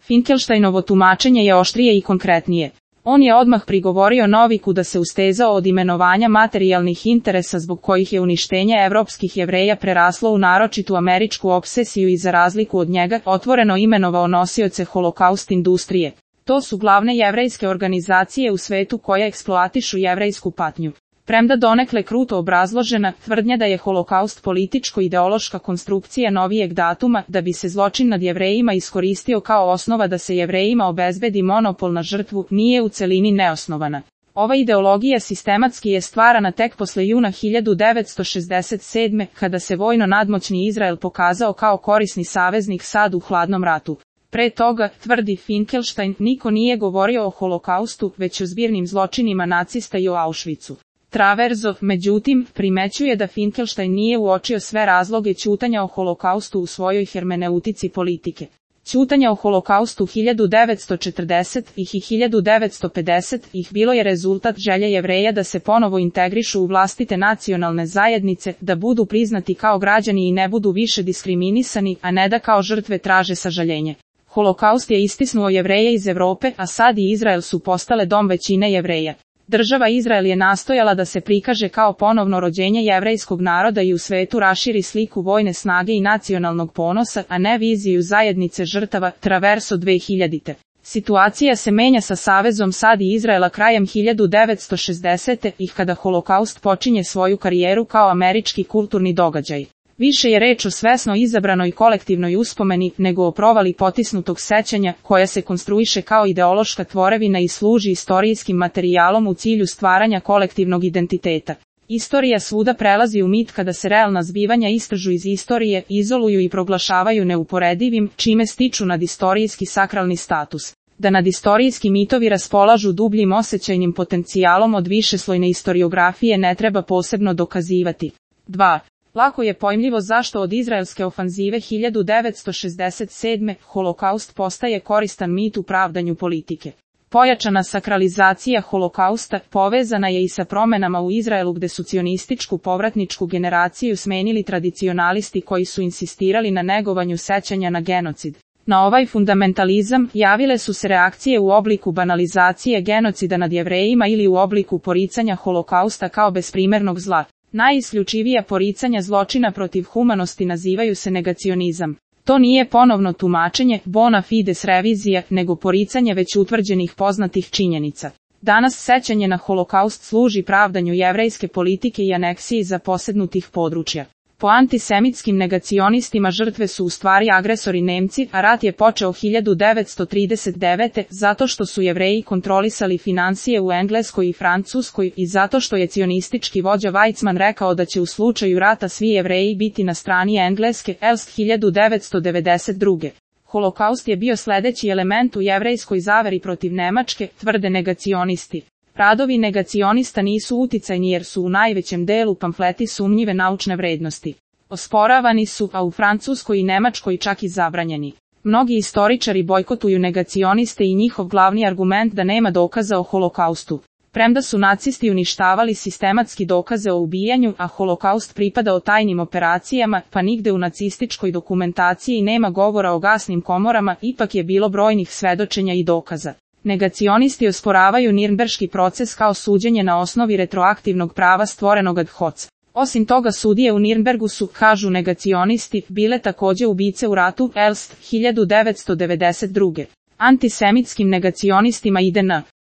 Finkelsteinovo tumačenje je oštrije i konkretnije. On je odmah prigovorio Noviku da se ustezao od imenovanja materijalnih interesa zbog kojih je uništenje evropskih Jevreja preraslo u naročitu američku obsesiju i za razliku od njega otvoreno imenovao nosioce holokaust industrije. To su glavne jevrejske organizacije u svetu koje eksploatišu jevrejsku patnju. Premda donekle kruto obrazložena, tvrdnja da je holokaust političko-ideološka konstrukcija novijeg datuma, da bi se zločin nad Jevrejima iskoristio kao osnova da se Jevrejima obezbedi monopol na žrtvu, nije u celini neosnovana. Ova ideologija sistematski je stvarana tek posle juna 1967. kada se vojno nadmoćni Izrael pokazao kao korisni saveznik SAD u hladnom ratu. Pre toga, tvrdi Finkelstein, niko nije govorio o holokaustu, već o zbirnim zločinima nacista i o Auschwitzu. Traverzo, međutim, primećuje da Finkelstein nije uočio sve razloge ćutanja o holokaustu u svojoj hermeneutici politike. Ćutanja o holokaustu 1940-ih i 1950-ih bilo je rezultat želje Jevreja da se ponovo integrišu u vlastite nacionalne zajednice, da budu priznati kao građani i ne budu više diskriminisani, a ne da kao žrtve traže sažaljenje. Holokaust je istisnuo Jevreje iz Evrope, a SAD i Izrael su postale dom većine Jevreja. Država Izrael je nastojala da se prikaže kao ponovno rođenje jevrejskog naroda i u svetu raširi sliku vojne snage i nacionalnog ponosa, a ne viziju zajednice žrtava, Traverso 2000. Situacija se menja sa savezom SAD i Izraela krajem 1960-ih kada holokaust počinje svoju karijeru kao američki kulturni događaj. Više je reč o svesno izabranoj kolektivnoj uspomeni nego o provali potisnutog sećanja, koja se konstruiše kao ideološka tvorevina i služi istorijskim materijalom u cilju stvaranja kolektivnog identiteta. Istorija svuda prelazi u mit kada se realna zbivanja istražu iz istorije, izoluju i proglašavaju neuporedivim, čime stiču nadistorijski sakralni status. Da nadistorijski mitovi raspolažu dubljim osjećajnim potencijalom od višeslojne istoriografije ne treba posebno dokazivati. 2. Lako je pojmljivo zašto od izraelske ofanzive 1967. holokaust postaje koristan mit u pravdanju politike. Pojačana sakralizacija holokausta povezana je i sa promenama u Izraelu gde su cionističku povratničku generaciju smenili tradicionalisti koji su insistirali na negovanju sećanja na genocid. Na ovaj fundamentalizam javile su se reakcije u obliku banalizacije genocida nad Jevrejima ili u obliku poricanja holokausta kao besprimernog zla. Najisključivija poricanja zločina protiv humanosti nazivaju se negacionizam. To nije ponovno tumačenje, bona fides revizija, nego poricanje već utvrđenih poznatih činjenica. Danas sećanje na holokaust služi pravdanju jevrejske politike i aneksiji zaposednutih područja. Po antisemitskim negacionistima žrtve su u stvari agresori Nemci, a rat je počeo 1939. zato što su Jevreji kontrolisali finansije u Engleskoj i Francuskoj i zato što je cionistički vođa Weizmann rekao da će u slučaju rata svi Jevreji biti na strani Engleske, Elst 1992. Holokaust je bio sledeći element u jevrejskoj zaveri protiv Nemačke, tvrde negacionisti. Radovi negacionista nisu uticajni jer su u najvećem delu pamfleti sumnjive naučne vrednosti. Osporavani su, a u Francuskoj i Nemačkoj čak i zabranjeni. Mnogi istoričari bojkotuju negacioniste i njihov glavni argument da nema dokaza o holokaustu. Premda su nacisti uništavali sistematski dokaze o ubijanju, a holokaust pripadao tajnim operacijama, pa nigde u nacističkoj dokumentaciji nema govora o gasnim komorama, ipak je bilo brojnih svedočenja i dokaza. Negacionisti osporavaju Nirnberški proces kao suđenje na osnovi retroaktivnog prava stvorenog ad hoc. Osim toga sudije u Nirnbergu su, kažu negacionisti, bile takođe ubice u ratu, Elst 1992. Antisemitskim negacionistima ide na